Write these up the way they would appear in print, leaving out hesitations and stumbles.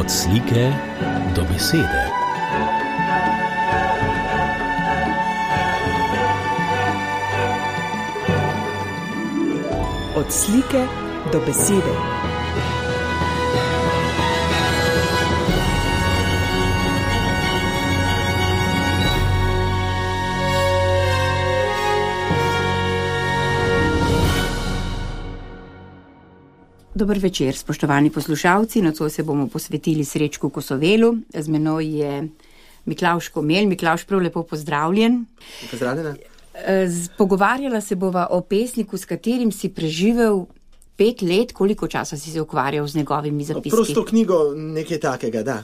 Od slike do besede. Od slike do besede. Dober večer, spoštovani poslušalci. Nocoj se bomo posvetili Srečku Kosovelu. Z menoj je Miklavž Komelj. Miklavž, prav lepo pozdravljen. Pozdravljena. Pogovarjala se bova o pesniku, s katerim si preživel 5 let. Koliko časa si se ukvarjal z njegovimi zapiski? Prosto knjigo nekaj takega, da.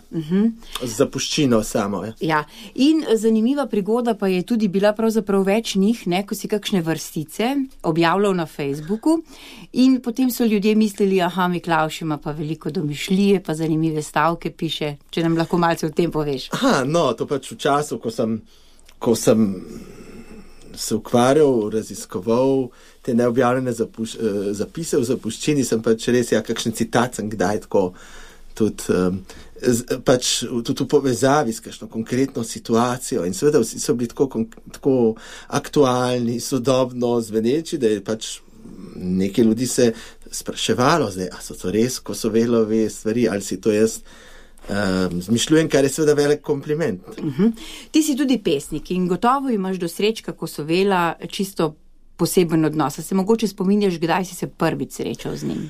Z zapuščino samo. Ja. In zanimiva prigoda pa je tudi bila pravzaprav več njih, ko si kakšne vrstice objavljal na Facebooku in potem so ljudje mislili, Miklavž ima pa veliko domišljije, pa zanimive stavke piše. Če nam lahko malce o tem poveš. To pač v času, ko sem se ukvarjal, raziskoval te neobjavljene zapise v zapuščini, sem pač res, kakšen citat sem kdaj tako tudi v povezavi s kakšno konkretno situacijo in seveda vsi so bili tako aktualni, sodobno zveneči, da je pač nekaj ljudi se spraševalo zdaj, a so to res Kosovelove stvari, ali si to jaz zmišljujem, kar je seveda velik kompliment. Ti si tudi pesnik in gotovo imaš do Srečka Kosovela čisto poseben odnos. Se mogoče spominjaš, kdaj si se prvič srečal z njim?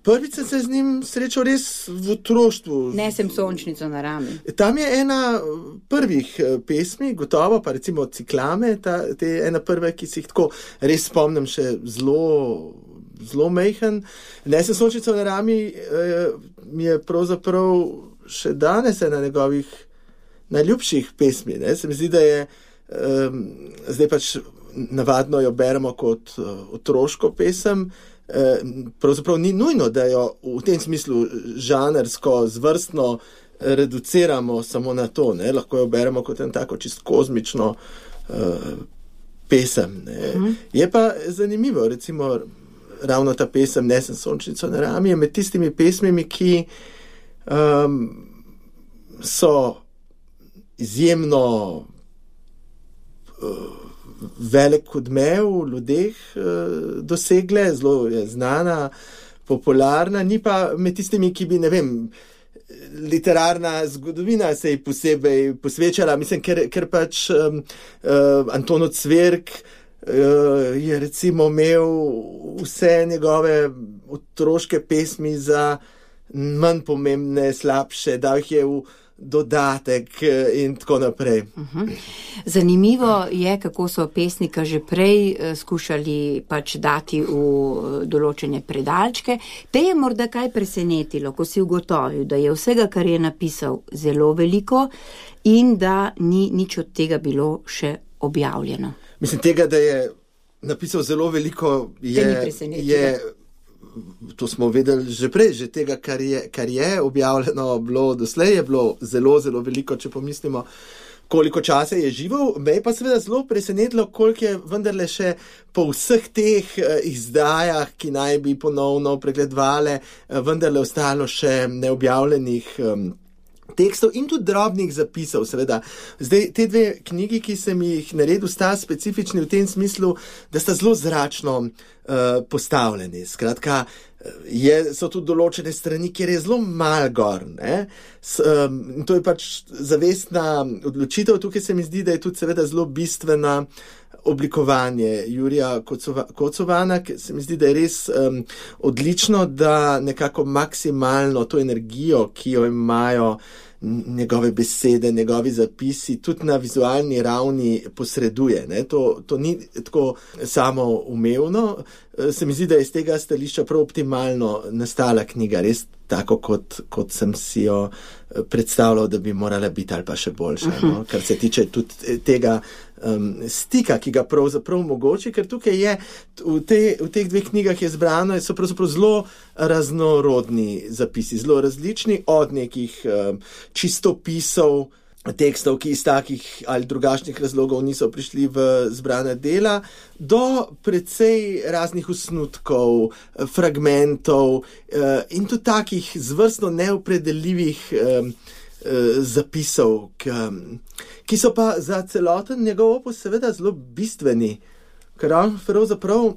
Prvič sem se z njim srečal res v otroštvu. Nesem sončnico na rami. Tam je ena prvih pesmi, gotovo, pa recimo Ciklame, te ena prve, ki si jih tako res spomnim še zelo mejhen. Nesem sončnico na rami mi je pravzaprav še danes ena njegovih najljubših pesmi. Se mi zdi, da je zdaj pač navadno jo beremo kot otroško pesem. Pravzaprav ni nujno, da jo v tem smislu žanrsko, zvrstno reduciramo samo na to. Lahko jo beremo kot en tako čist kozmično pesem. Je pa zanimivo, recimo ravno ta pesem Nesem sončnico na rami je med tistimi pesmimi, ki so izjemno velik odmev v ljudeh dosegle, zelo je znana, popularna, ni pa med tistimi, ki bi, literarna zgodovina se ji posebej posvečala, mislim, ker pač Anton Cvirk je recimo imel vse njegove otroške pesmi za manj pomembne, slabše, dal jih je v dodatek in tako naprej. Zanimivo je, kako so pesnika že prej skušali pač dati v določene predalčke. Te je morda kaj presenetilo, ko si ugotovil, da je vsega, kar je napisal, zelo veliko in da ni nič od tega bilo še objavljeno. Mislim, tega, da je napisal zelo veliko, to smo vedeli že prej, že tega, kar je objavljeno bilo doslej, je bilo zelo, zelo veliko, če pomislimo, koliko časa je živel. Me je pa seveda zelo presenetilo, koliko je vendarle še po vseh teh izdajah, ki naj bi ponovno pregledovale, vendarle ostalo še neobjavljenih tekstov in tudi drobnih zapisov, seveda. Zdaj, te 2 knjigi, ki sem jih naredil, sta specifični v tem smislu, da sta zelo zračno postavljeni. Skratka, so tudi določene strani, kjer je zelo malo gor. To je pač zavestna odločitev. Tukaj se mi zdi, da je tudi seveda zelo bistvena oblikovanje Jurija Kocovana, ki se mi zdi, da je res odlično, da nekako maksimalno to energijo, ki jo imajo njegove besede, njegovi zapisi, tudi na vizualni ravni posreduje. To ni tako samoumevno. Se mi zdi, da je iz tega stališča prav optimalno nastala knjiga, res tako, kot sem si jo predstavljal, da bi morala biti ali pa še boljša. Kar se tiče tudi tega stika, ki ga pravzaprav mogoče, ker tukaj je v teh 2 knjigah je zbrano, so pravzaprav zelo raznorodni zapisi, zelo različni, od nekih čistopisov tekstov, ki iz takih ali drugačnih razlogov niso prišli v zbrana dela, do precej raznih osnutkov, fragmentov in tudi takih zvrstno neopredeljivih zapisov, ki so pa za celoten njegov opus seveda zelo bistveni, ker on pravzaprav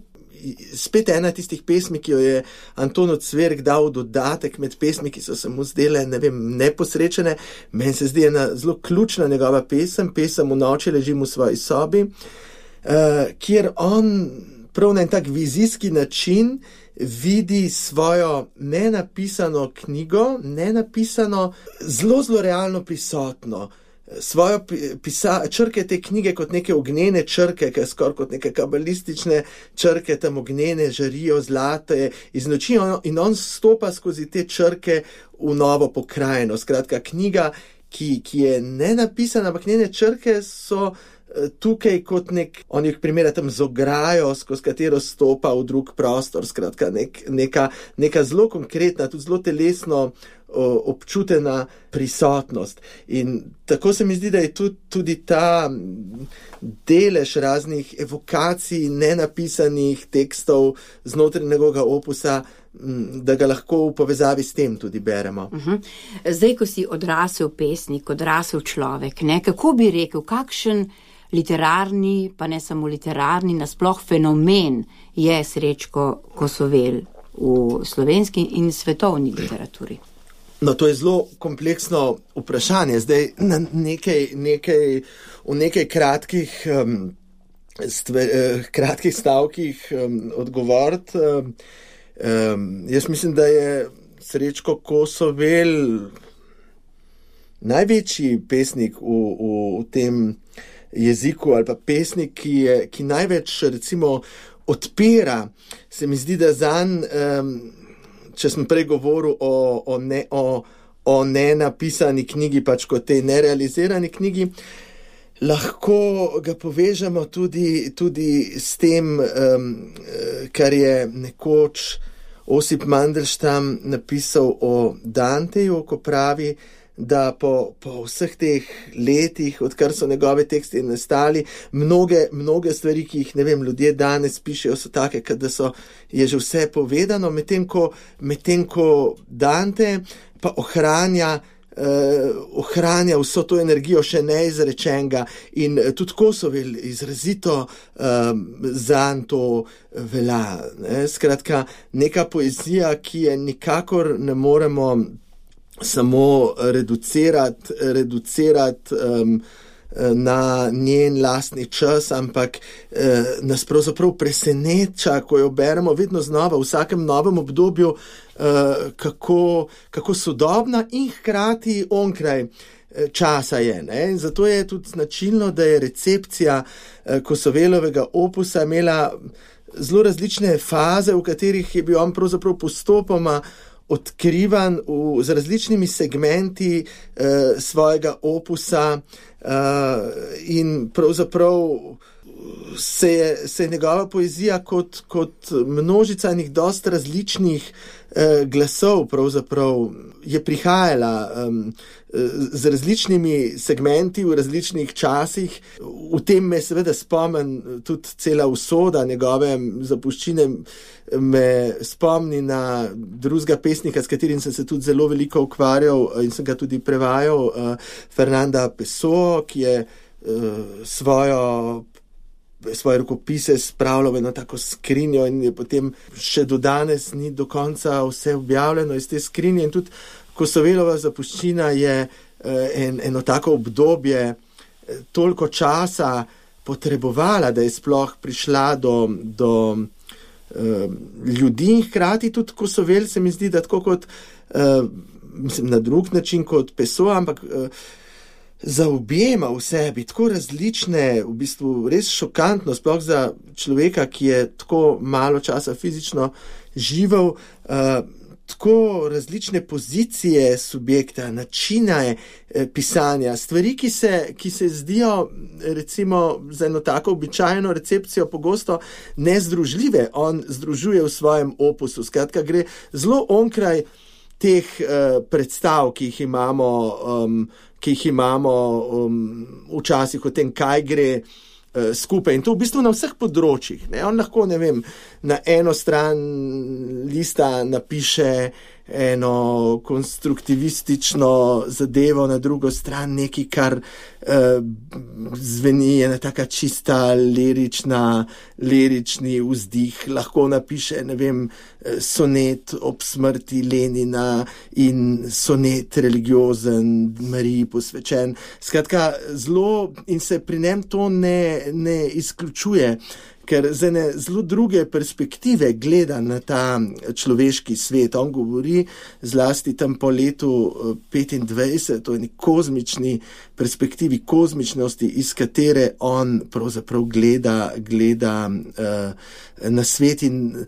spet ena tistih pesmi, ki jo je Anton Ocvirk dal dodatek med pesmi, ki so se mu zdele, neposrečene. Meni se zdi ena zelo ključna njegova pesem V noči ležim v svoji sobi, kjer on prav na en tak vizijski način vidi svojo nenapisano knjigo, zelo, zelo realno prisotno. Svojo črke te knjige kot neke ognjene črke, ki skoraj kot neke kabalistične črke, tam ognjene žarijo zlate iz noči in on stopa skozi te črke v novo pokrajino. Skratka, knjiga, ki je nenapisana, ampak njene črke so tukaj kot on jih primera tam z ograjo, skozi katero stopa v drug prostor. Skratka, neka zelo konkretna, tudi zelo telesno občutena prisotnost. In tako se mi zdi, da je tudi ta delež raznih evokacij, nenapisanih tekstov znotraj njegovega opusa, da ga lahko v povezavi s tem tudi beremo. Zdaj, ko si odrasel pesnik, odrasel človek, kako bi rekel, kakšen literarni, pa ne samo literarni, nasploh fenomen je Srečko Kosovel v slovenski in svetovni literaturi? No, to je zelo kompleksno vprašanje. Zdaj na v nekaj kratkih stavkih odgovoriti. Jaz mislim, da je Srečko Kosovel največji pesnik v tem jeziku ali pa pesnik, ki največ recimo odpira. Se mi zdi, da zanj, če sem prej govoril o nenapisani knjigi, pač kot tej nerealizirani knjigi, lahko ga povežemo tudi s tem, kar je nekoč Osip Mandelstam napisal o Danteju, ko pravi, da po vseh teh letih, odkar so njegove teksti nastali, mnoge stvari, ki jih, ljudje danes pišejo, so take, da je že vse povedano, medtem ko Dante pa ohranja vso to energijo še neizrečenega in tudi Kosovel izrazito zanj to velja. Skratka, neka poezija, ki je nikakor ne moremo samo reducirati na njen lastni čas, ampak nas pravzaprav preseneča, ko jo beremo vedno znova, v vsakem novem obdobju, kako sodobna in hkrati onkraj časa je. In zato je tudi značilno, da je recepcija Kosovelovega opusa imela zelo različne faze, v katerih je bil on pravzaprav postopoma odkrivan z različnimi segmenti svojega opusa in pravzaprav se je njegova poezija kot množica enih dosti različnih glasov pravzaprav je prihajala z različnimi segmenti v različnih časih. V tem me seveda spomnim tudi cela usoda njegove zapuščine, me spomni na drugega pesnika, s katerim sem se tudi zelo veliko ukvarjal in sem ga tudi prevajal, Fernanda Pessoa, ki je svoje rokopise spravljal v eno tako skrinjo in je potem še do danes ni do konca vse objavljeno iz te skrinje. In tudi Kosovelova zapuščina je eno tako obdobje toliko časa potrebovala, da je sploh prišla do ljudi in hkrati tudi Kosovel se mi zdi, da tako kot na drug način kot Pessoa, ampak zaobjema v sebi tako različne, v bistvu res šokantno, sploh za človeka, ki je tako malo časa fizično živel, tako različne pozicije subjekta, načine pisanja, stvari, ki se zdijo recimo za eno tako običajno recepcijo pogosto nezdružljive, on združuje v svojem opusu. Skratka, gre zelo onkraj teh predstav, ki jih imamo včasih o tem, kaj gre skupaj. In to v bistvu na vseh področjih. Ne? On lahko, ne vem, na eno stran lista napiše eno konstruktivistično zadevo, na drugo stran nekaj, kar zveni ena taka čista lirični vzdih. Lahko napiše, ne vem, sonet ob smrti Lenina in sonet religiozen, Mariji posvečen. Skratka, zelo in se pri njem to ne izključuje, ker z ene zelo druge perspektive gleda na ta človeški svet. On govori zlasti tam po letu 25 o eni kozmični perspektivi, kozmičnosti, iz katere on pravzaprav gleda na svet in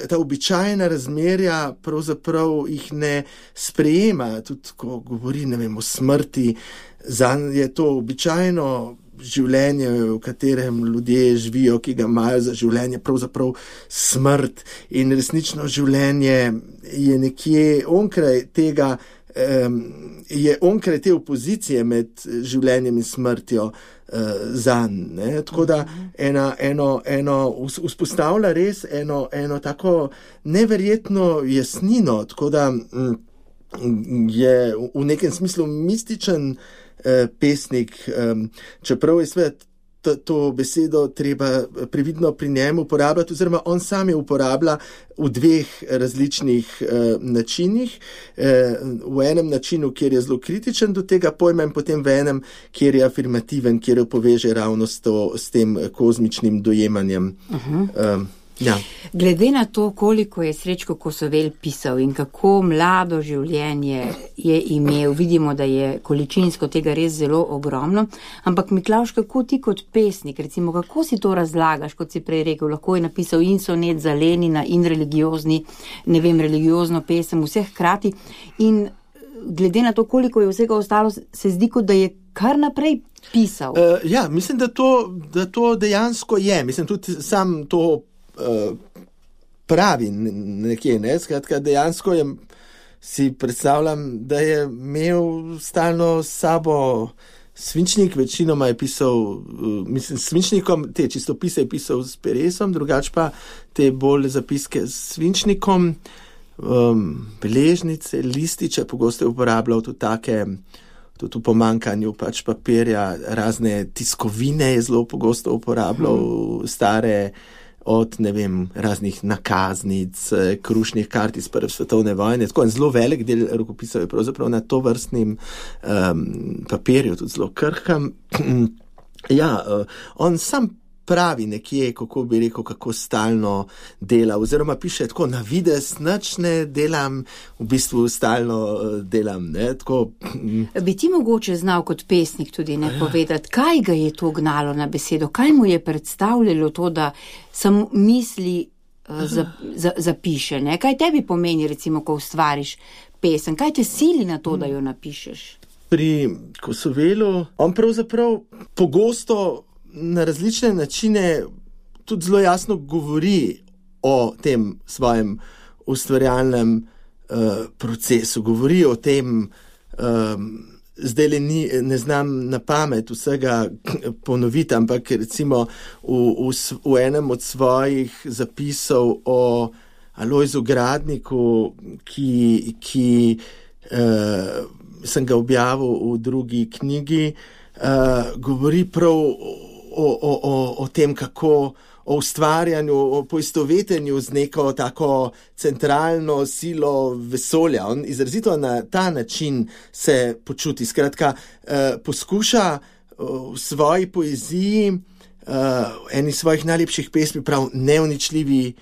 ta običajna razmerja pravzaprav jih ne sprejema. Tudi ko govori, ne vem, o smrti, zanj je to običajno življenje, v katerem ljudje živijo, ki ga imajo za življenje, pravzaprav smrt, in resnično življenje je nekje onkraj tega, je onkraj te opozicije med življenjem in smrtjo zanj. Tako da vzpostavlja res eno tako neverjetno jasnino, tako da je v nekem smislu mističen pesnik, čeprav je seveda to besedo treba previdno pri njemu uporabljati, oziroma on sam jo uporablja v dveh različnih načinih. V enem načinu, kjer je zelo kritičen do tega pojma, in potem v enem, kjer je afirmativen, kjer jo poveže ravno s tem kozmičnim dojemanjem. Ja. Glede na to, koliko je Srečko Kosovel pisal in kako mlado življenje je imel, vidimo, da je količinsko tega res zelo ogromno, ampak Miklavž, kako ti kot pesnik, recimo, kako si to razlagaš, kot si prej rekel, lahko je napisal in sonet za Lenina in religiozno pesem, vse hkrati, in glede na to, koliko je vsega ostalo, se zdi, kot da je kar naprej pisal. Ja, mislim, da to dejansko je. Mislim, tudi sam to pravi nekje, ne? Skratka, dejansko si predstavljam, da je imel stalno s sabo svinčnik, večinoma je pisal, mislim, svinčnikom, te čistopise je pisal s peresom, drugače pa te bolj zapiske s svinčnikom, beležnice, lističe, pogosto je uporabljal tudi take, tudi v pomanjkanju pač papirja, razne tiskovine je zelo pogosto uporabljal, stare od, ne vem, raznih nakaznic, krušnih kart iz Prve svetovne vojne. Tako en zelo velik del rokopisov je pravzaprav na tovrstnem papirju, tudi zelo krhkam. Ja, on sam pravi nekje, kako bi rekel, kako stalno dela, oziroma piše tako, na videz nič ne delam, v bistvu stalno delam. Ne? Tako, Bi ti mogoče znal kot pesnik tudi povedati, kaj ga je to gnalo na besedo, kaj mu je predstavljalo to, da samo misli zapiše, ne? Kaj tebi pomeni, recimo, ko ustvariš pesem, kaj te sili na to, da jo napišeš? Pri Kosovelu on pravzaprav pogosto na različne načine tudi zelo jasno govori o tem svojem ustvarjalnem procesu, govori o tem, zdaj ne znam na pamet vsega ponoviti, ampak recimo v enem od svojih zapisov o Alojzu Gradniku, ki sem ga objavil v drugi knjigi, govori prav o tem, kako o ustvarjanju, o poistovetenju z neko tako centralno silo vesolja. On izrazito na ta način se počuti. Skratka, poskuša v svoji poeziji, eni svojih najlepših pesmi, prav neuničljivi,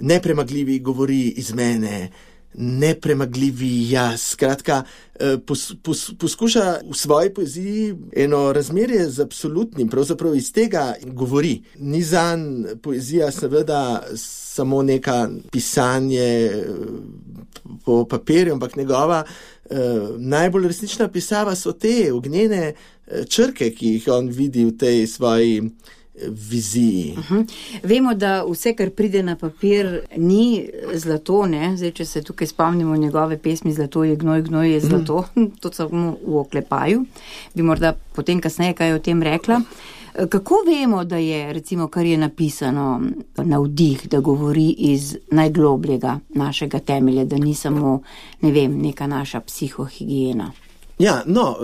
nepremagljivi govori iz mene, nepremagljivi jaz. Skratka, poskuša v svoji poeziji eno razmerje z absolutnim, pravzaprav iz tega govori. Ni zanj poezija seveda samo neka pisanje po papirju, ampak njegova najbolj resnična pisava so te ognjene črke, ki jih on vidi v tej svoji viziji. Vemo, da vse, kar pride na papir, ni zlato, ne? Zdaj, če se tukaj spomnimo njegove pesmi Zlato je gnoj, gnoj je zlato, to samo v oklepaju, bi morda potem kasneje kaj o tem rekla. Kako vemo, da je, recimo, kar je napisano, navdih, da govori iz najglobljega našega temelja, da ni samo, ne vem, neka naša psihohigiena? Ja, no,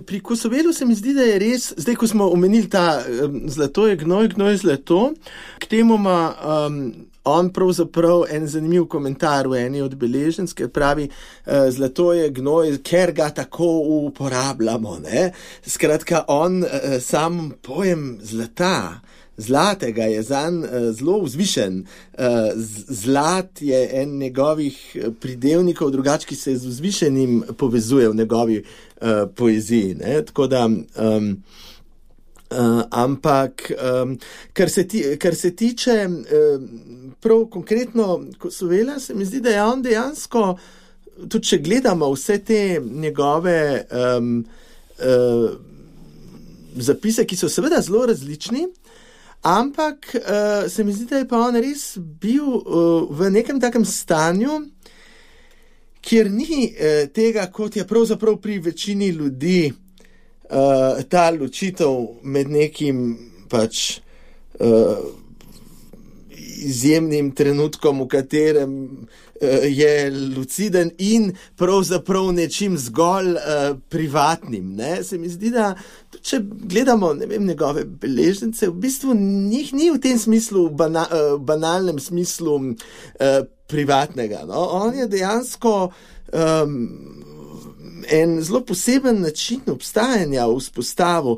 pri Kosovelu se mi zdi, da je res, zdaj, ko smo omenili ta zlato je gnoj, gnoj je zlato, k temu ima on pravzaprav en zanimiv komentar v eni od beleženc, ker pravi, zlato je gnoj, ker ga tako uporabljamo, ne. Skratka, on sam pojem zlatega je zanj zelo vzvišen. Zlat je en njegovih pridevnikov, drugače, ki se z vzvišenim povezuje v njegovi poeziji, ne. Tako da ampak kar se tiče prav konkretno Kosovela, se mi zdi, da je on dejansko, tudi če gledamo vse te njegove zapise, ki so seveda zelo različni, ampak se mi zdi, da je pa on res bil v nekem takem stanju, kjer ni tega, kot je pravzaprav pri večini ljudi, ta ločitev med nekim pač izjemnim trenutkom, v katerem je luciden in pravzaprav nečim zgolj privatnim, ne. Se mi zdi, da če gledamo, ne vem, njegove beležnice, v bistvu njih ni v tem smislu, banalnem smislu privatnega, no. On je dejansko en zelo poseben način obstajanja vzpostavil,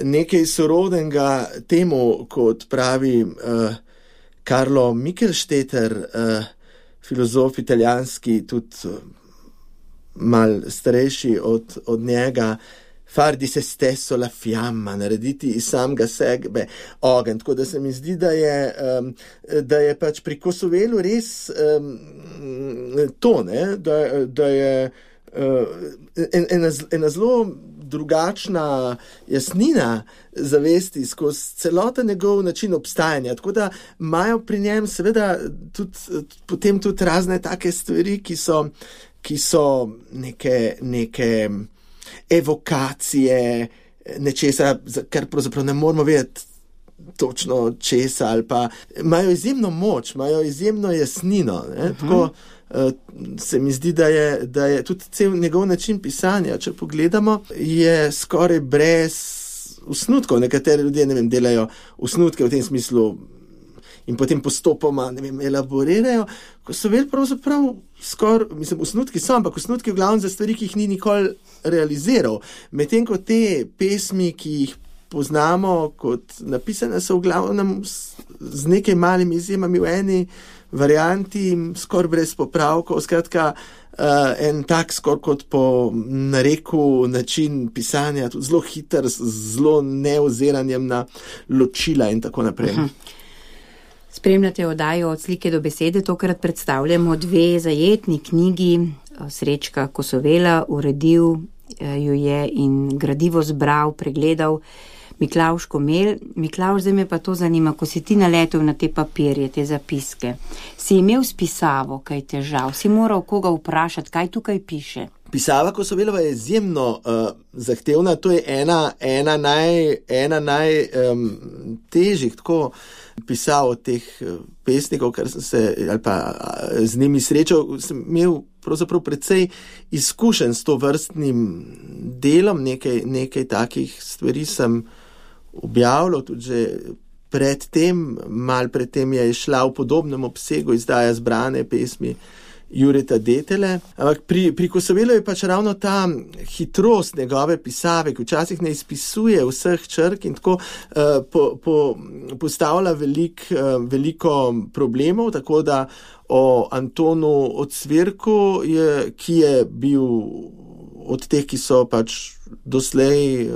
nekaj sorodnega temu, kot pravi Carlo Michelstetter, filozof italijanski, tudi mal starejši od njega, far di se stesso la fiamma, narediti iz samega sebe ogenj. Tako da se mi zdi, da je pač pri Kosovelu res to, ne, da je ena zelo drugačna jasnina zavesti skozi celoten njegov način obstajanja. Tako da imajo pri njem seveda potem tudi razne take stvari, ki so neke evokacije nečesa, kar pravzaprav ne moramo vedeti točno česa, ali pa imajo izjemno moč, imajo izjemno jasnino, ne? Tako se mi zdi, da je tudi cel njegov način pisanja, če pogledamo, je skoraj brez osnutkov. Nekateri ljudje, ne vem, delajo osnutke v tem smislu in potem postopoma, ne vem, elaborirajo. Kosovel pravzaprav skoraj, mislim, osnutki so, ampak osnutki v glavnem za stvari, ki jih ni nikoli realiziral. Medtem ko te pesmi, ki jih poznamo kot napisane, so v glavnem z nekaj malimi izjemami v eni varianti, skoraj brez popravkov, skratka en tak skoraj kot po nareku način pisanja, tudi zelo hiter, z zelo neoziranjem na ločila in tako naprej. Spremljate oddajo Od slike do besede, tokrat predstavljamo dve zajetni knjigi Srečka Kosovela, uredil jo je in gradivo zbral, pregledal Miklavž Komel. Miklavž, zdaj me pa to zanima, ko si ti naletel na te papirje, te zapiske, si imel s pisavo kaj težav, si moral koga vprašati, kaj tukaj piše? Pisava Kosovelova je izjemno zahtevna, to je ena najtežjih tako pisav od teh pesnikov, kar sem se, ali pa z njimi srečal, sem imel pravzaprav precej izkušenj s to vrstnim delom, nekaj takih stvari sem objavljal, tudi že malo predtem je šla v podobnem obsegu izdaja zbrane pesmi Jureta Detele. Ampak pri Kosovelu je pač ravno ta hitrost njegove pisave, ki včasih ne izpisuje vseh črk in tako postavlja veliko problemov, tako da o Antonu Ocvirku, ki je bil od teh, ki so pač doslej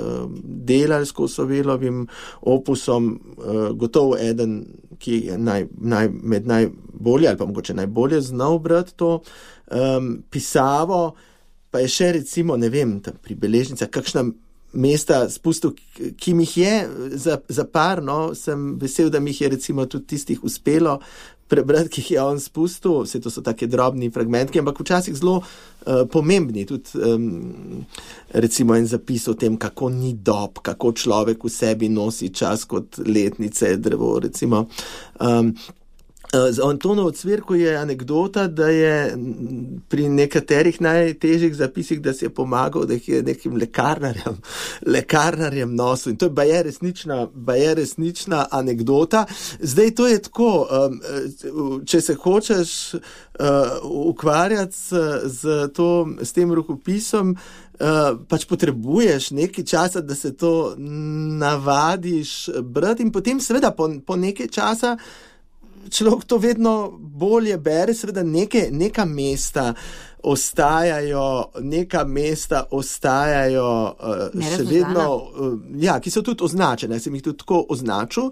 delali s Kosovelovim opusom, gotovo eden, ki je med najbolje ali pa mogoče najbolje znal brati to pisavo, pa je še recimo, ne vem, pri beležnicah kakšna mesta spustil, ki mi jih je za par, no, sem vesel, da mi jih je recimo tudi tistih uspelo prebrati, ki jih je on spustil, vse to so take drobni fragmentki, ampak včasih zelo pomembni, tudi recimo en zapis o tem, kako ni dob, kako človek v sebi nosi čas kot letnice, drevo, recimo. Z Antonovo cvirko je anekdota, da je pri nekaterih najtežjih zapisih, da si je pomagal, da jih je nekim lekarnarjem nosil. In to je resnična anekdota. Zdaj to je tako, če se hočeš ukvarjati s tem rokopisom, pač potrebuješ nekaj časa, da se to navadiš brati in potem seveda po nekaj časa človek to vedno bolje bere, seveda neka mesta ostajajo še vedno, ki so tudi označene, sem jih tudi tako označil,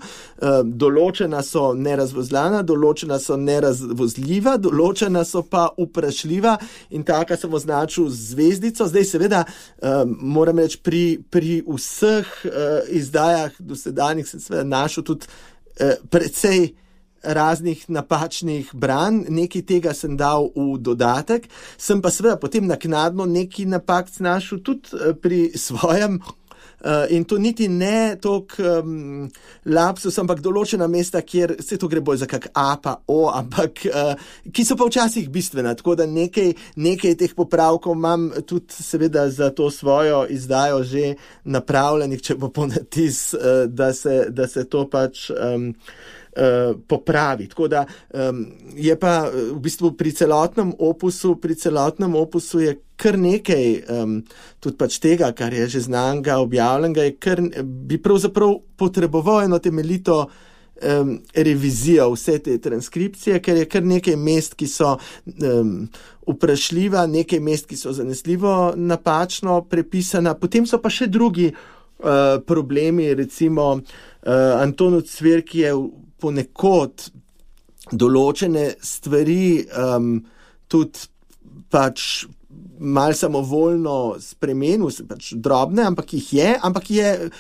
določena so nerazvozlana, določena so nerazvozljiva, določena so pa vprašljiva in taka sem označil z zvezdico. Zdaj seveda moram reči, pri vseh izdajah dosedanjih sem seveda našel tudi precej raznih napačnih branj, nekaj tega sem dal v dodatek, sem pa seveda potem naknadno nekaj napak našel tudi pri svojem in to niti ne toliko lapsus, ampak določena mesta, kjer se to gre bolj za kak A pa O, ampak ki so pa včasih bistvena, tako da nekaj teh popravkov imam tudi seveda za to svojo izdajo že napravljenih, če bo ponatis, da se to pač popravi. Tako da je pa v bistvu pri celotnem opusu je kar nekaj tudi pač tega, kar je že znanega, objavljenega, bi pravzaprav potreboval eno temeljito revizijo vse te transkripcije, ker je kar nekaj mest, ki so vprašljiva, nekaj mest, ki so zanesljivo napačno prepisana, potem so pa še drugi problemi, recimo Antonov cvirk je ponekod določene stvari tudi pač malo samovoljno spremenil, pač drobne, ampak je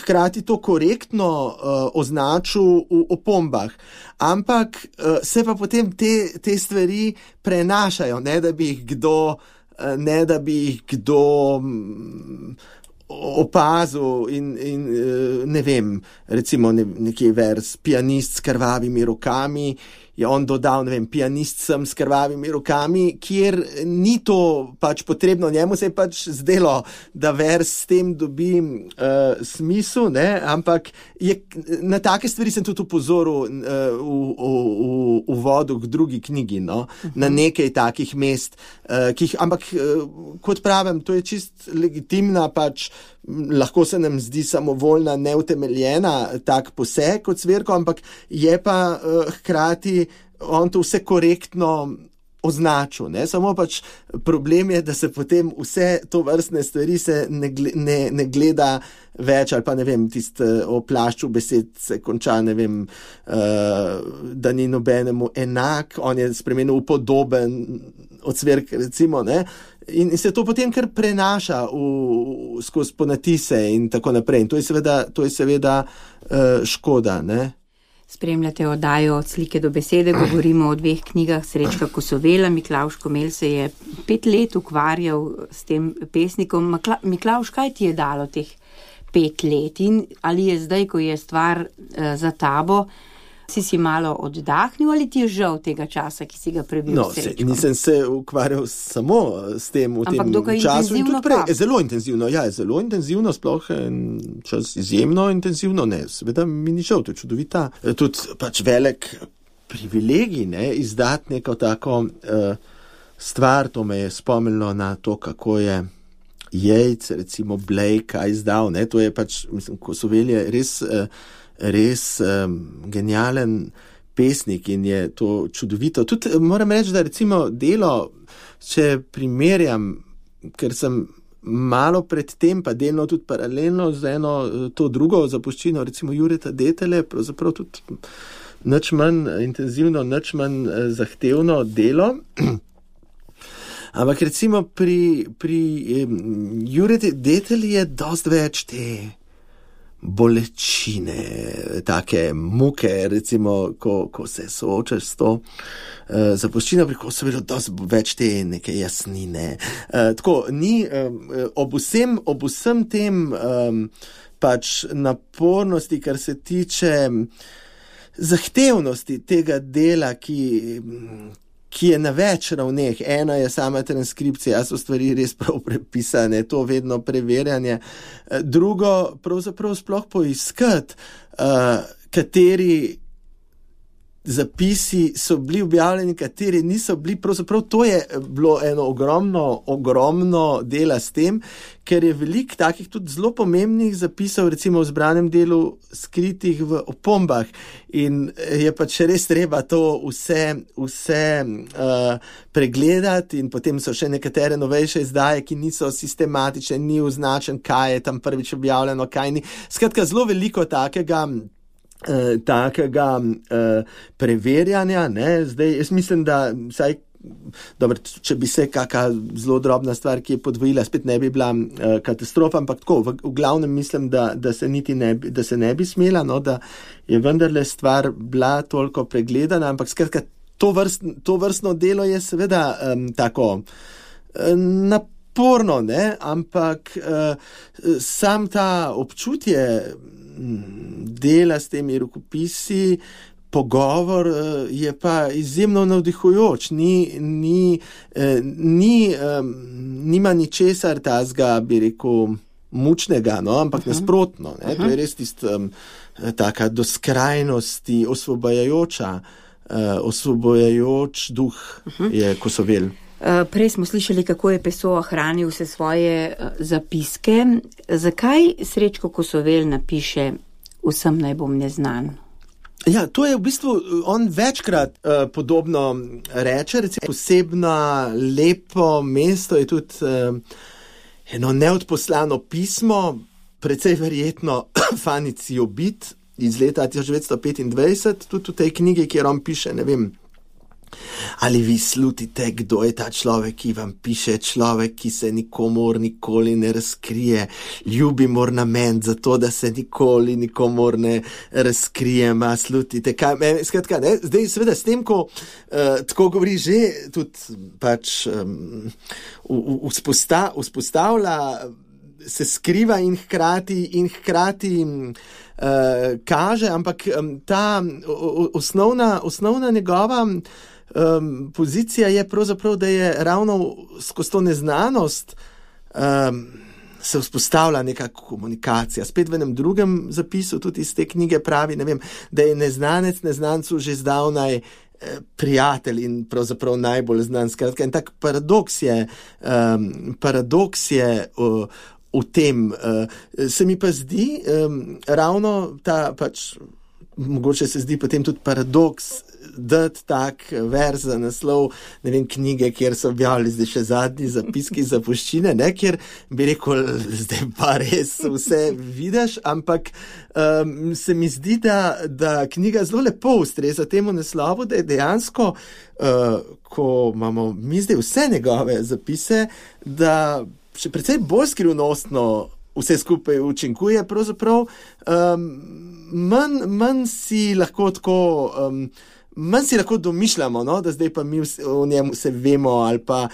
hkrati to korektno označil v opombah. Ampak se pa potem te stvari prenašajo, ne da bi jih kdo opazil in ne vem, recimo nekje vers pianist s krvavimi rokami, je on dodal, ne vem, pianist sem s krvavimi rokami, kjer ni to pač potrebno, njemu se je pač zdelo, da vers s tem dobi smisel, ne, ampak na take stvari sem tudi upozoril v uvodu k drugi knjigi, no, na nekaj takih mest, ampak kot pravim, to je čist legitimna pač, lahko se nam zdi samovoljna, neutemeljena tak poseg kot cvirko, ampak je pa hkrati on to vse korektno označil, ne? Samo pač problem je, da se potem vse to vrstne stvari se ne gleda več, ali pa ne vem, o plašču besed se konča, ne vem, da ni nobenemu enak, on je spremenil podoben od cvirk, recimo, ne? In se to potem kar prenaša skozi ponatise in tako naprej. In to je seveda škoda, ne? Spremljate oddajo Od slike do besede, govorimo o 2 knjigah Srečka Kosovela. Miklavž Komelj se je 5 let ukvarjal s tem pesnikom. Miklavž, kaj ti je dalo teh 5 let in ali je zdaj, ko je stvar za tabo, si malo oddahnil ali ti je žal tega časa, ki si ga prebil s Srečkom? Nisem se ukvarjal samo s tem v tem času. In tudi prej, zelo intenzivno, sploh čas izjemno intenzivno, ne, seveda mi ni žal, to je čudovita. Tudi pač velik privilegij, ne, izdati neko tako stvar, to me je spomnilo na to, kako je Yeats, recimo Blake izdal, ne, to je pač, mislim, Kosovel je res genijalen pesnik in je to čudovito. Tudi moram reči, da recimo delo, če primerjam, ker sem malo pred tem, pa delno tudi paralelno z eno to drugo zapuščino, recimo Jureta Detele, pravzaprav tudi nič manj intenzivno, nič manj zahtevno delo. Ampak recimo pri Jureti Detelji je dosti več te bolečine, take muke, recimo, ko se soočaš s to zapuščino, pri Kosovilu dosti več te neke jasnine. Tako, ni ob vsem tem pač napornosti, kar se tiče zahtevnosti tega dela, ki je na več ravneh. Ena je sama transkripcija, so stvari res prav prepisane, to vedno preverjanje. Drugo, pravzaprav sploh poiskati, kateri zapisi so bili objavljeni, kateri niso bili. Pravzaprav to je bilo eno ogromno dela s tem, ker je veliko takih tudi zelo pomembnih zapisov, recimo v zbranem delu, skritih v opombah. In je pač res treba to vse pregledati in potem so še nekatere novejše izdaje, ki niso sistematične, ni označen, kaj je tam prvič objavljeno, kaj ni. Skratka, zelo veliko takega preverjanja, ne, zdaj jaz mislim, da vsaj, dobro, če bi se kakšna zelo drobna stvar, ki je podvojila, spet ne bi bila katastrofa, ampak tako, v glavnem mislim, da se ne bi smela, no, da je vendarle stvar bila toliko pregledana, ampak skratka, to vrstno delo je seveda tako naporno, ne, ampak sam ta občutje dela s temi rokopisi, pogovor je pa izjemno navdihujoč, nima ničesar tazga, bi rekel, mučnega, no, ampak nasprotno, ne, to je res taka do skrajnosti osvobojajoč duh je Kosovel. Prej smo slišali, kako je Pessoa hranil vse svoje zapiske. Zakaj Srečko Kosovel napiše Vsem naj bom neznan? Ja, to je v bistvu, on večkrat podobno reče, recimo posebno lepo mesto je tudi eno neodposlano pismo, precej verjetno Fanici Obit iz leta 1925, tudi v tej knjigi, kjer on piše, ne vem, ali vi slutite, kdo je ta človek, ki vam piše, človek, ki se nikomor nikoli ne razkrije, ljubim ornament zato, da se nikoli nikomor ne razkrije, slutite, kaj, skratka, ne, zdaj seveda s tem, ko tako govori že tudi pač vzpostavlja, se skriva in hkrati kaže, ampak ta osnovna njegova pozicija je pravzaprav, da je ravno skozi to neznanost se vzpostavlja neka komunikacija. Spet v enem drugem zapisu tudi iz te knjige pravi, ne vem, da je neznanec neznancu že zdavnaj prijatelj in pravzaprav najbolj znan. Skratka, en tak paradoks je v tem. Se mi pa zdi ravno ta pač, mogoče se zdi potem tudi paradoks, dati tak verz za naslov, ne vem, knjige, kjer so objavili zdaj še zadnji zapiski zapuščine, ne, kjer bi rekel, zdaj pa res vse vidiš, ampak se mi zdi, da knjiga zelo lepo ustreza temu naslovu, da je dejansko, ko imamo mi zdaj vse njegove zapise, da še precej bolj skrivnostno vse skupaj učinkuje, pravzaprav manj si lahko tako, manj si lahko domišljamo, no, da zdaj pa mi o njem vse vemo ali pa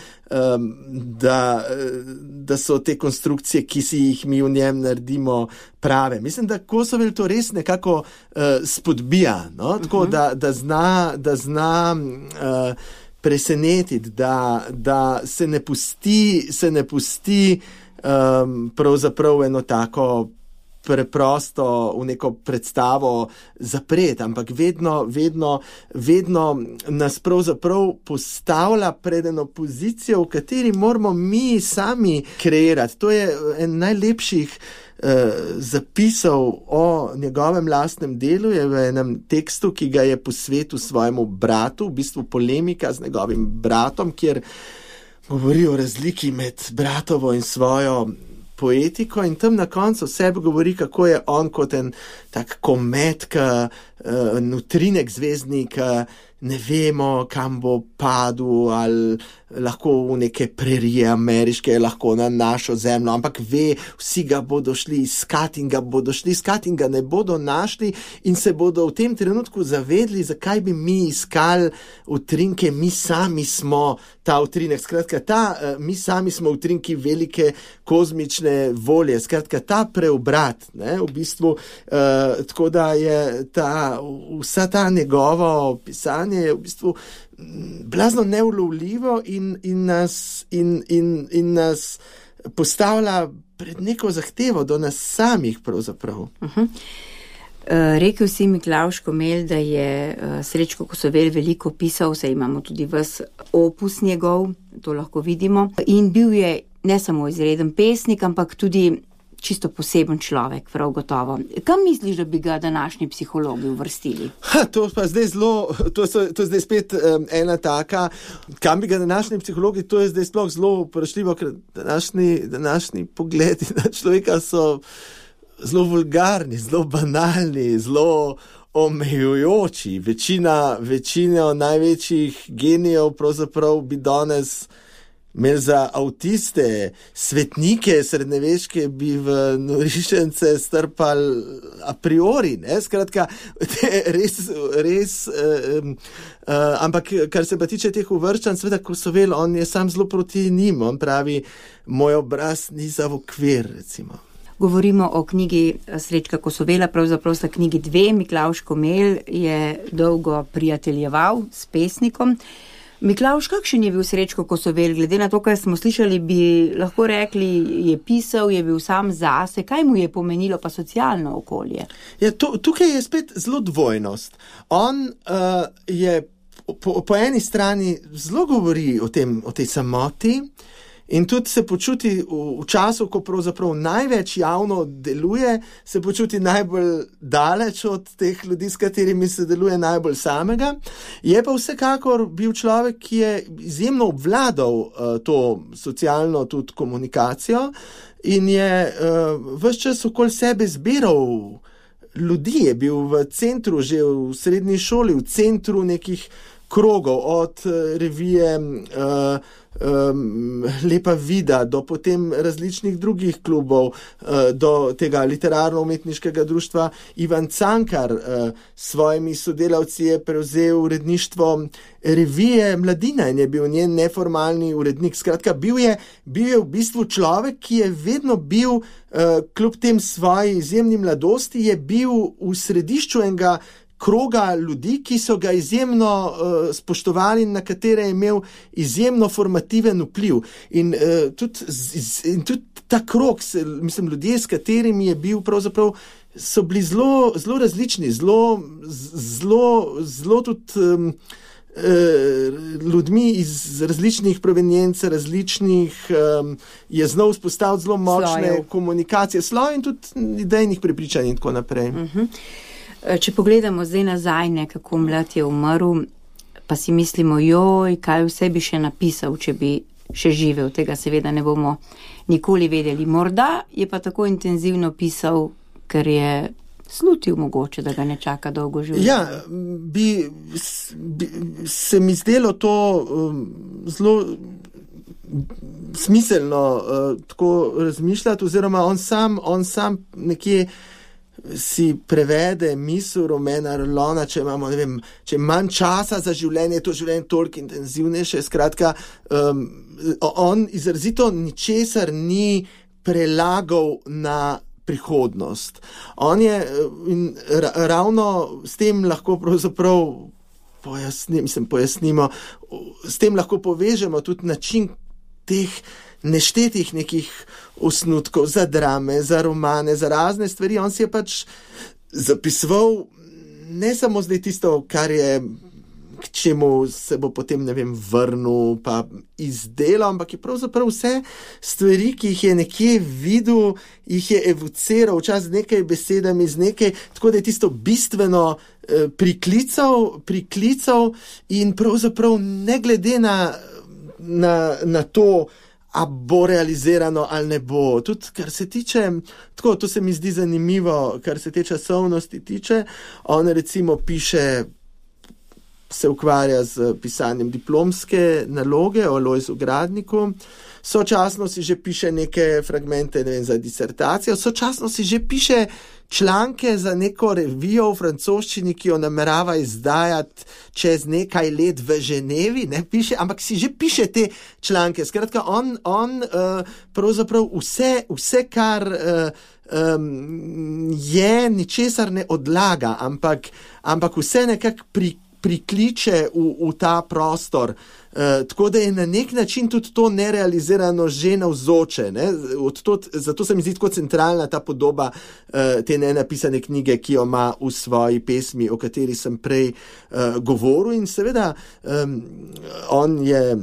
da so te konstrukcije, ki si jih mi v njem naredimo, prave. Mislim, da Kosovel to res nekako spodbija, no, tako da zna presenetiti, da se ne pusti pravzaprav eno tako preprosto v neko predstavo zapreti, ampak vedno nas pravzaprav postavlja pred eno pozicijo, v kateri moramo mi sami kreirati. To je en najlepših zapisov o njegovem lastnem delu, je v enem tekstu, ki ga je posvetil svojemu bratu, v bistvu polemika z njegovim bratom, kjer govori o razliki med bratovo in svojo poetiko in tam na koncu sebe govori, kako je on kot en tak komet, utrinek zvezdnik, ne vemo, kam bo padel, ali lahko v neke prerije ameriške, lahko na našo zemljo, ampak ve, vsi ga bodo šli iskati in ga ne bodo našli in se bodo v tem trenutku zavedli, zakaj bi mi iskali utrinke, mi sami smo ta utrinek, skratka, mi sami smo utrinki velike kozmične volje, skratka, ta preobrat, ne, v bistvu, tako da je vsa ta njegovo pisanje je v bistvu blazno neulovljivo in nas postavlja pred neko zahtevo do nas samih pravzaprav. Rekel si Miklavž Komelj, da je Srečko Kosovel veliko pisal, saj imamo tudi ves opus njegov, to lahko vidimo, in bil je ne samo izreden pesnik, ampak tudi čisto poseben človek, prav gotovo. Kam misliš, da bi ga današnji psihologi uvrstili? To pa zdaj to je zdaj spet ena taka, kam bi ga današnji psihologi, to je zdaj sploh zelo vprašljivo, ker današnji pogledi na človeka so zelo vulgarni, zelo banalni, zelo omejujoči. Večina največjih genijev pravzaprav bi danes imeli za avtiste, svetnike srednjeveške bi v norišence strpali a priori, ne? Skratka, res, ampak kar se pa tiče teh uvrščanj, seveda Kosovel, on je sam zelo proti njim, on pravi, moj obraz ni za v okvir, recimo. Govorimo o knjigi Srečka Kosovela, pravzaprav sta knjigi dve. Miklavž Komelj je dolgo prijateljeval s pesnikom. Miklavž, kakšen je bil Srečko Kosovel? Glede na to, kar smo slišali, bi lahko rekli, je pisal, je bil sam zase. Kaj mu je pomenilo pa socialno okolje? Ja, tukaj je spet zelo dvojnost. On je po eni strani zelo govori o tej samoti in tudi se počuti v času, ko pravzaprav največ javno deluje, se počuti najbolj daleč od teh ljudi, s katerimi se deluje najbolj samega. Je pa vsekakor bil človek, ki je izjemno obvladal to socialno tudi komunikacijo in je ves čas okoli sebe zbiral ljudi, je bil v centru, že v srednji šoli, v centru nekih krogov, od revije Lepa vida, do potem različnih drugih klubov, do tega literarno-umetniškega društva Ivan Cankar. S svojimi sodelavci je prevzel uredništvo revije Mladina in je bil njen neformalni urednik. Skratka, bil je v bistvu človek, ki je vedno bil, kljub tem svoji izjemni mladosti, je bil v središču enega kroga ljudi, ki so ga izjemno spoštovali in na katere je imel izjemno formativen vpliv. In tudi ta krog, mislim, ljudje, s katerimi je bil pravzaprav, so bili zelo različni, zelo tudi ljudmi iz različnih provenienc, je znal vzpostaviti zelo močne komunikacije, sloj in tudi idejnih prepričanj in tako naprej. Če pogledamo zdaj nazaj, nekako mlad je umrl, pa si mislimo, joj, kaj vse bi še napisal, če bi še živel. Tega seveda ne bomo nikoli vedeli. Morda je pa tako intenzivno pisal, ker je slutil mogoče, da ga ne čaka dolgo življenje. Ja, bi se mi zdelo to zelo smiselno tako razmišljati, oziroma on sam nekje si prevede misel Romana Rolona, če imamo, ne vem, če manj časa za življenje, to življenje toliko intenzivnejše. Skratka, on izrazito ničesar ni prelagal na prihodnost. On je, in ravno s tem lahko pravzaprav pojasnimo, s tem lahko povežemo tudi način teh neštetih nekih osnutkov za drame, za romane, za razne stvari. On si je pač zapisoval ne samo zdaj tisto, kar je, k čemu se bo potem, ne vem, vrnil pa izdelal, ampak je pravzaprav vse stvari, ki jih je nekje videl, jih je evociral včasih z nekaj besedami, z nekaj, tako da je tisto bistveno priklical in pravzaprav ne glede na to, a bo realizirano ali ne bo. Tudi, kar se tiče, tako, to se mi zdi zanimivo, kar se te časovnosti tiče, on recimo piše se ukvarja z pisanjem diplomske naloge o Lojzu Gradniku, sočasno si že piše neke fragmente, ne vem, za disertacijo, sočasno si že piše članke za neko revijo v francoščini, ki jo namerava izdajati čez nekaj let v Ženevi, ne piše, ampak si že piše te članke. Skratka, on pravzaprav vse kar je, ničesar ne odlaga, ampak vse nekako prikliče v ta prostor. Tako da je na nek način tudi to nerealizirano že navzoče. Ne? Zato se mi zdi tako centralna ta podoba te nenapisane knjige, ki jo ima v svoji pesmi, o kateri sem prej govoril. In seveda on je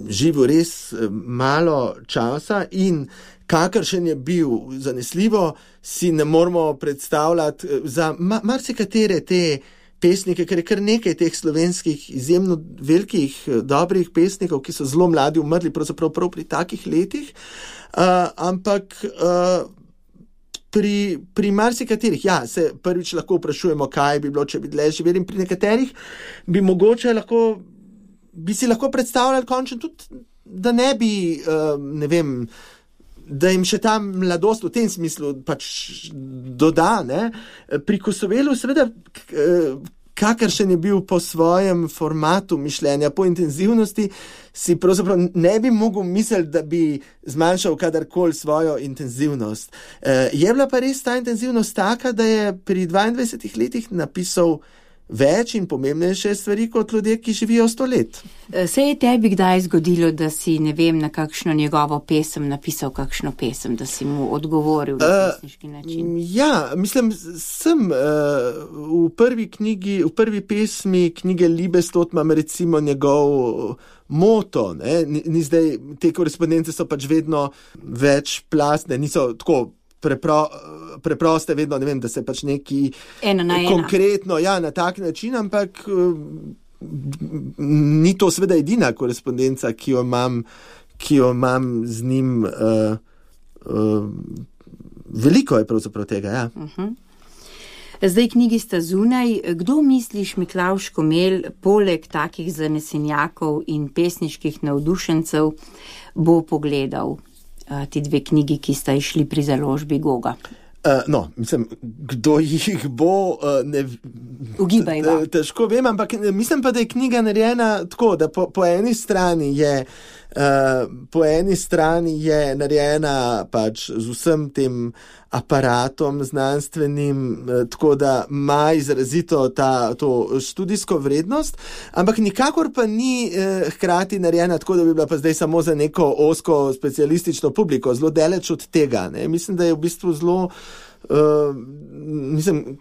živel res malo časa in kakršen je bil, zanesljivo si ne moramo predstavljati za marsikatere te pesnike, ker je kar nekaj teh slovenskih izjemno velikih, dobrih pesnikov, ki so zelo mladi umrli, pravzaprav prav pri takih letih, ampak pri marsikaterih, ja, se prvič lahko vprašujemo, kaj bi bilo, če bi dlje živeli, in pri nekaterih bi si lahko predstavljali končno tudi, da ne bi, ne vem, da jim še ta mladost v tem smislu pač doda, ne. Pri Kosovelu seveda, kakršen je bil po svojem formatu mišljenja, po intenzivnosti, si pravzaprav ne bi mogel misliti, da bi zmanjšal kadarkoli svojo intenzivnost. Je bila pa res ta intenzivnost taka, da je pri 22 letih napisal več in pomembnejše stvari kot ljudje, ki živijo 100 let. Se je tebi kdaj zgodilo, da si, ne vem, na kakšno njegovo pesem napisal kakšno pesem, da si mu odgovoril na pesniški način? Ja, mislim, sem v prvi pesmi knjige Liebestod imam recimo njegov moto, ne? Ni zdaj, te korespondence so pač vedno večplastne, niso tako preproste, vedno, ne vem, da se pač neki konkretno, ja, na tak način, ampak ni to seveda edina korespondenca, ki jo imam z njim, veliko je pravzaprav tega, ja. Zdaj knjigi sta zunaj. Kdo misliš, Miklavž Komelj, poleg takih zanesenjakov in pesniških navdušencev, bo pogledal ti dve knjigi, ki sta išli pri založbi Goga? No, mislim, kdo jih bo, Ugibajva. Težko vem, ampak mislim pa, da je knjiga narejena tako, da po eni strani je narejena pač z vsem tem aparatom znanstvenim, tako da ima izrazito to študijsko vrednost, ampak nikakor pa ni hkrati narejena tako, da bi bila pa zdaj samo za neko ozko specialistično publiko, zelo daleč od tega, ne. Mislim, da je v bistvu zelo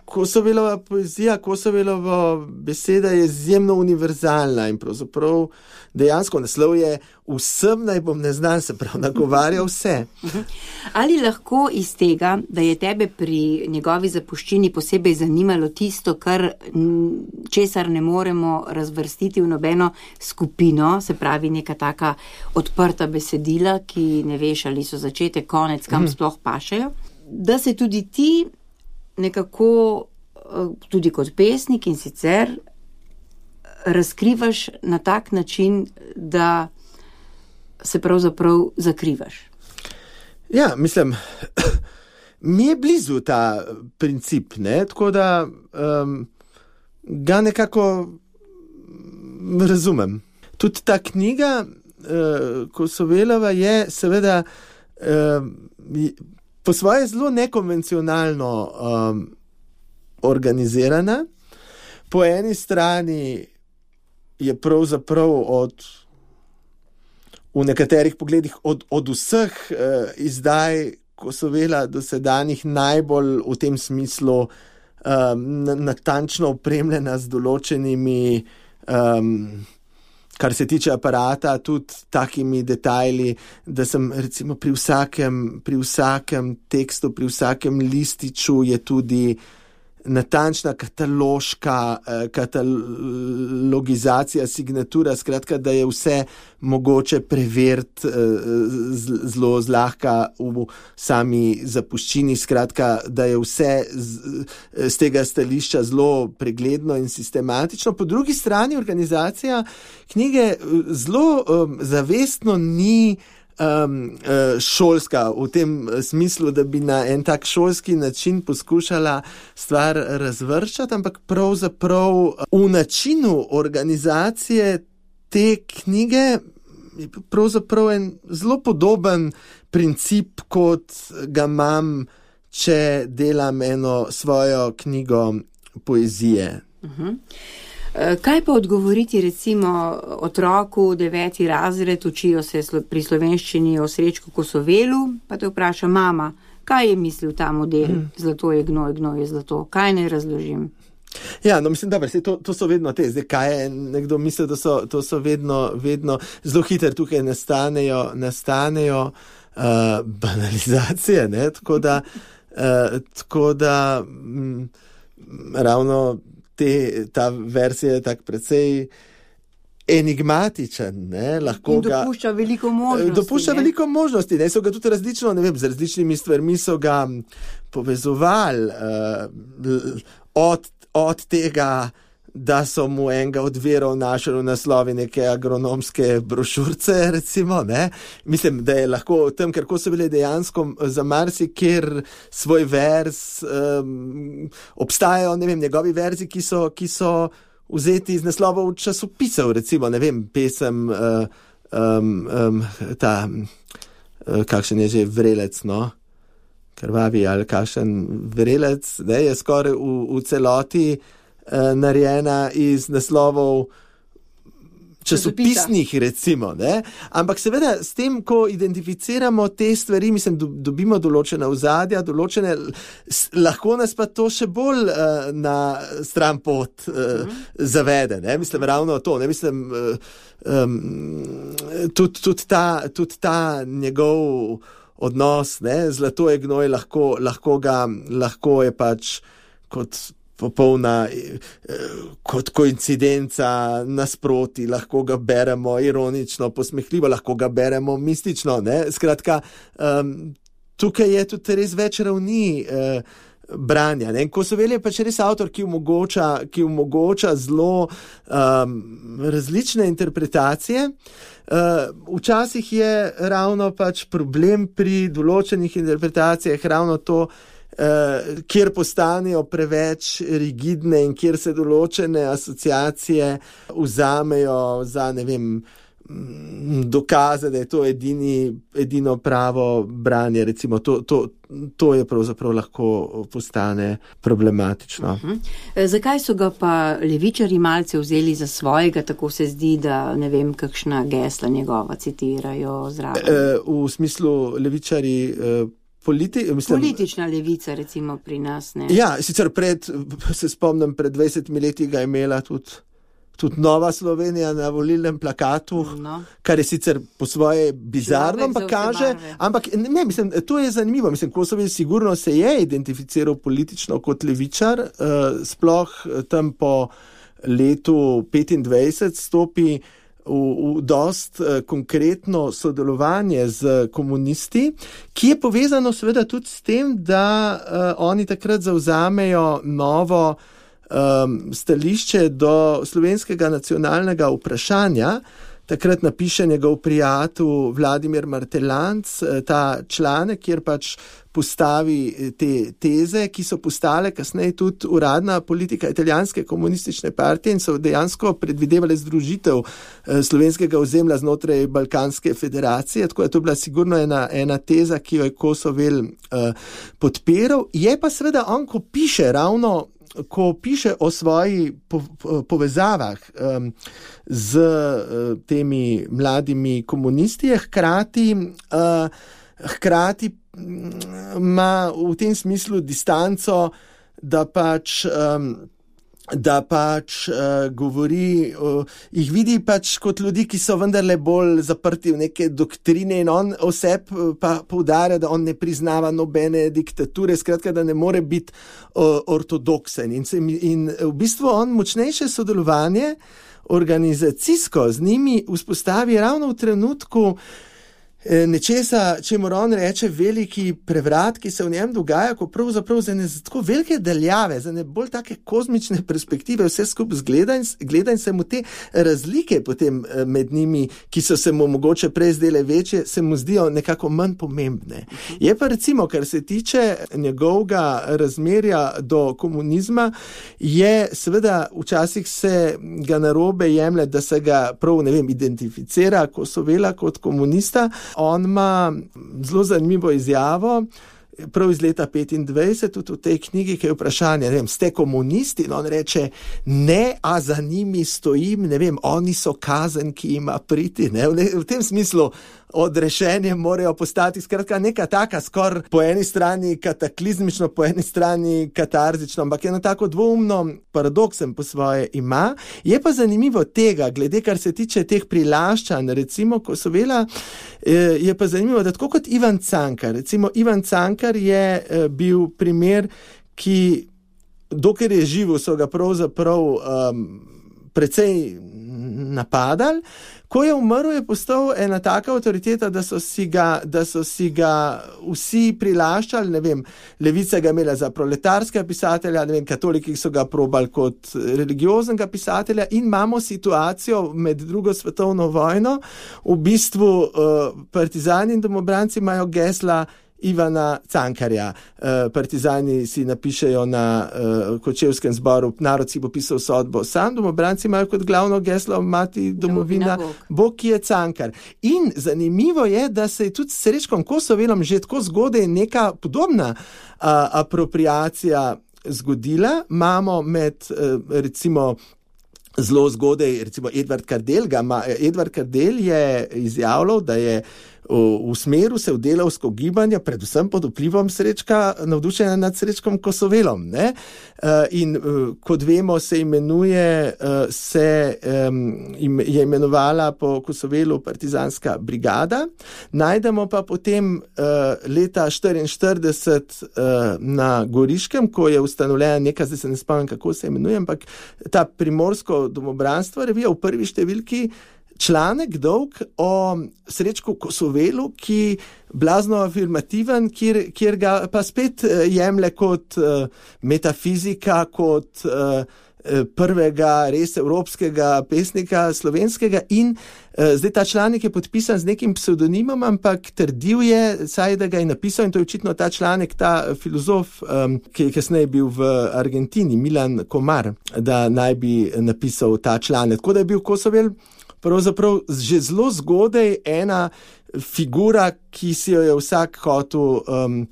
Kosovelova poezija, Kosovelova beseda je izjemno univerzalna in pravzaprav dejansko naslov je Vsem naj bom neznan, se pravi, nagovarja vse. Ali lahko iz tega, da je tebe pri njegovi zapuščini posebej zanimalo tisto, česar ne moremo razvrstiti v nobeno skupino, se pravi neka taka odprta besedila, ki ne veš, ali so začetek, konec, kam sploh pašejo, da se tudi ti nekako, tudi kot pesnik in sicer, razkrivaš na tak način, da se pravzaprav zakrivaš. Ja, mislim, mi je blizu ta princip, ne, tako da ga nekako razumem. Tudi ta knjiga Kosovelova je seveda po svoje zelo nekonvencionalno organizirana. Po eni strani je pravzaprav v nekaterih pogledih od vseh izdaj Kosovela dosedanjih najbolj v tem smislu natančno opremljena z določenimi, kar se tiče aparata, tudi takimi detajli, da sem recimo pri vsakem tekstu, pri vsakem lističu je tudi natančna katalogizacija, signatura, skratka, da je vse mogoče preveriti zelo zlahka v sami zapuščini, skratka, da je vse z tega stališča zelo pregledno in sistematično. Po drugi strani organizacija knjige zelo zavestno ni šolska v tem smislu, da bi na en tak šolski način poskušala stvar razvrščati, ampak pravzaprav v načinu organizacije te knjige je pravzaprav en zelo podoben princip, kot ga imam, če delam eno svojo knjigo poezije. Kaj pa odgovoriti recimo otroku 9. razred, učijo se pri slovenščini o Srečku Kosovelu, pa te vpraša mama, kaj je mislil ta model, zlato je gnoj, gnoj je zlato, kaj naj razložim? Ja, no mislim, dobro, to so vedno te, zdaj kaj je nekdo mislil, to so vedno zelo hitro tukaj nastanejo banalizacije, ne, tako da ravno ta verzija je tak precej enigmatičen, ne, lahko in dopušča veliko možnosti. Dopušča veliko možnosti, ne, so ga tudi različno, ne vem, z različnimi stvarmi so ga povezovali, od tega, da so mu enega od virov našli v naslovi neke agronomske brošurce, recimo, ne. Mislim, da je lahko tam, ker ko so bile dejansko za marsikjer svoj verz, obstajajo, ne vem, njegovi verzi, ki so vzeti iz naslovov časopisov, recimo, ne vem, pesem, kakšen je že vrelec, no, krvavi ali kakšen vrelec, ne, je skoraj v celoti narejena iz naslovov časopisnih, recimo, ne? Ampak seveda s tem, ko identificiramo te stvari, mislim, dobimo določene ozadja, lahko nas pa to še bolj na stran pot zavede, ne? Mislim, ravno to, ne? Mislim, tudi ta njegov odnos, ne? Zlato je gnoj, lahko je pač kot popolna, kot koincidenca nasproti, lahko ga beremo ironično, posmehljivo, lahko ga beremo mistično, ne? Skratka, tukaj je tudi res več ravni branja, ne? Kosovel je pač res avtor, ki omogoča zelo različne interpretacije. Včasih je ravno pač problem pri določenih interpretacijah ravno to, kjer postanejo preveč rigidne in kjer se določene asociacije vzamejo za, ne vem, dokaze, da je to edino pravo branje, recimo, to je pravzaprav lahko postane problematično. Zakaj so ga pa levičarji malce vzeli za svojega, tako se zdi, da ne vem, kakšna gesla njegova citirajo zraven? V smislu levičarji politična levica, recimo pri nas, ne? Ja, sicer se spomnim, pred 20 leti ga je imela tudi Nova Slovenija na volilnem plakatu, kar je sicer po svoje bizarno, ampak ne, mislim, to je zanimivo. Mislim, Kosovel sigurno se je identificiral politično kot levičar, sploh tam po letu 25 stopi v dost konkretno sodelovanje z komunisti, ki je povezano seveda tudi s tem, da oni takrat zavzamejo novo stališče do slovenskega nacionalnega vprašanja. Takrat napiše njegov prijatelj Vladimir Martelanc ta članek, kjer pač postavi te teze, ki so postale kasneje tudi uradna politika italijanske komunistične partije in so dejansko predvidevale združitev slovenskega ozemlja znotraj Balkanske federacije, tako da to je bila sigurno ena teza, ki jo je Kosovel podpiral. Je pa seveda on, ko piše o svojih povezavah z temi mladimi komunisti, hkrati ima v tem smislu distanco, da pač da pač govori, jih vidi pač kot ljudi, ki so vendarle bolj zaprti v neke doktrine in on oseb pa poudarja, da on ne priznava nobene diktature, skratka, da ne more biti ortodoksen. In v bistvu on močnejše sodelovanje organizacijsko z njimi vzpostavi ravno v trenutku nečesa, čemu on reče veliki prevrat, ki se v njem dogaja, ko pravzaprav za ne tako velike daljave, za ne bolj take kozmične perspektive vse skupaj gleda in se mu te razlike potem med njimi, ki so se mu mogoče prej zdele večje, se mu zdijo nekako manj pomembne. Je pa recimo, kar se tiče njegovega razmerja do komunizma, je seveda včasih se ga narobe jemlje, da se ga prav, identificira Kosovela kot komunista. On ima zelo zanimivo izjavo, prav iz leta 25, tudi v tej knjigi, ki je vprašanje, ste komunisti? In on reče, ne, a za njimi stojim, oni so kazen, ki ima priti. V tem smislu odrešenje morajo postati skratka neka taka skoraj po eni strani kataklizmično, po eni strani katarzično, ampak eno tako dvoumno paradoksen po svoje ima. Je pa zanimivo tega, glede kar se tiče teh prilaščanj, recimo Kosovela, je pa zanimivo, da tako kot Ivan Cankar, recimo Ivan Cankar je bil primer, ki dokler je živel, so ga pravzaprav precej napadali. Ko je umrl, je postal ena taka avtoriteta, da so si ga vsi prilaščali, levica ga imela za proletarskega pisatelja, katoliki so ga probali kot religioznega pisatelja in imamo situacijo med drugo svetovno vojno, v bistvu partizani in domobranci imajo gesla Ivana Cankarja. Partizani si napišejo na Kočevskem zboru, narod si bo pisal sodbo sam, domobranci imajo kot glavno geslo mati domovina, Bog, ki je Cankar. In zanimivo je, da se je tudi s Srečkom Kosovelom že tako zgodaj neka podobna apropriacija zgodila. Imamo med recimo zelo zgodaj, recimo Edvard Kardel je izjavljal, da je v smeru se v delavsko gibanje, predvsem pod vplivom Srečka, navdušena nad Srečkom Kosovelom. In kot vemo, je imenovala po Kosovelu partizanska brigada. Najdemo pa potem leta 1944 na Goriškem, ko je ustanovljena neka, zdaj se ne spomnim, kako se imenuje, ampak ta primorsko domobranstvo revija v prvi številki članek dolg o Srečku Kosovelu, ki blazno afirmativen, kjer ga pa spet jemlje kot metafizika, kot prvega res evropskega pesnika slovenskega in zdaj ta članek je podpisan z nekim psevdonimom, ampak trdil je, saj da ga je napisal, in to je očitno ta članek, ta filozof, ki je kasneje bil v Argentini, Milan Komar, da naj bi napisal ta članek. Tako da je bil Kosovel pravzaprav že zelo zgodaj ena figura, ki si jo je vsak hotel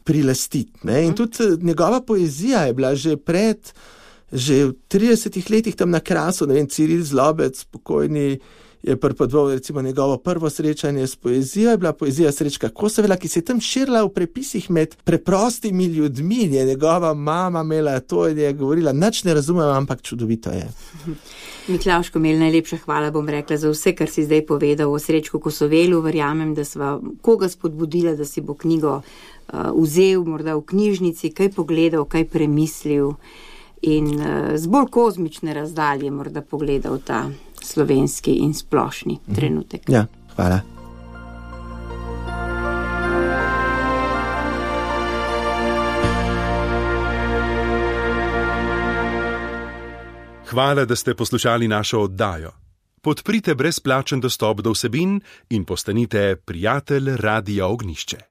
prilastiti. In tudi njegova poezija je bila že v 30 letih tam na Krasu, Ciril Zlobec, pokojni, je pripovedoval recimo njegovo prvo srečanje s poezijo, je bila poezija Srečka Kosovela, ki se je tam širila v prepisih med preprostimi ljudmi, je njegova mama imela to in je govorila, nič ne razumem, ampak čudovito je. Miklavž Komelj, najlepša hvala, bom rekla, za vse, kar si zdaj povedal o Srečku Kosovelu. Verjamem, da sva koga spodbudila, da si bo knjigo vzel, morda v knjižnici, kaj pogledal, kaj premislil in z bolj kozmične razdalje morda pogledal ta slovenski in splošni trenutek. Ja, hvala. Hvala, da ste poslušali našo oddajo. Podprite brezplačen dostop do vsebin in postanite prijatelj Radia Ognjišče.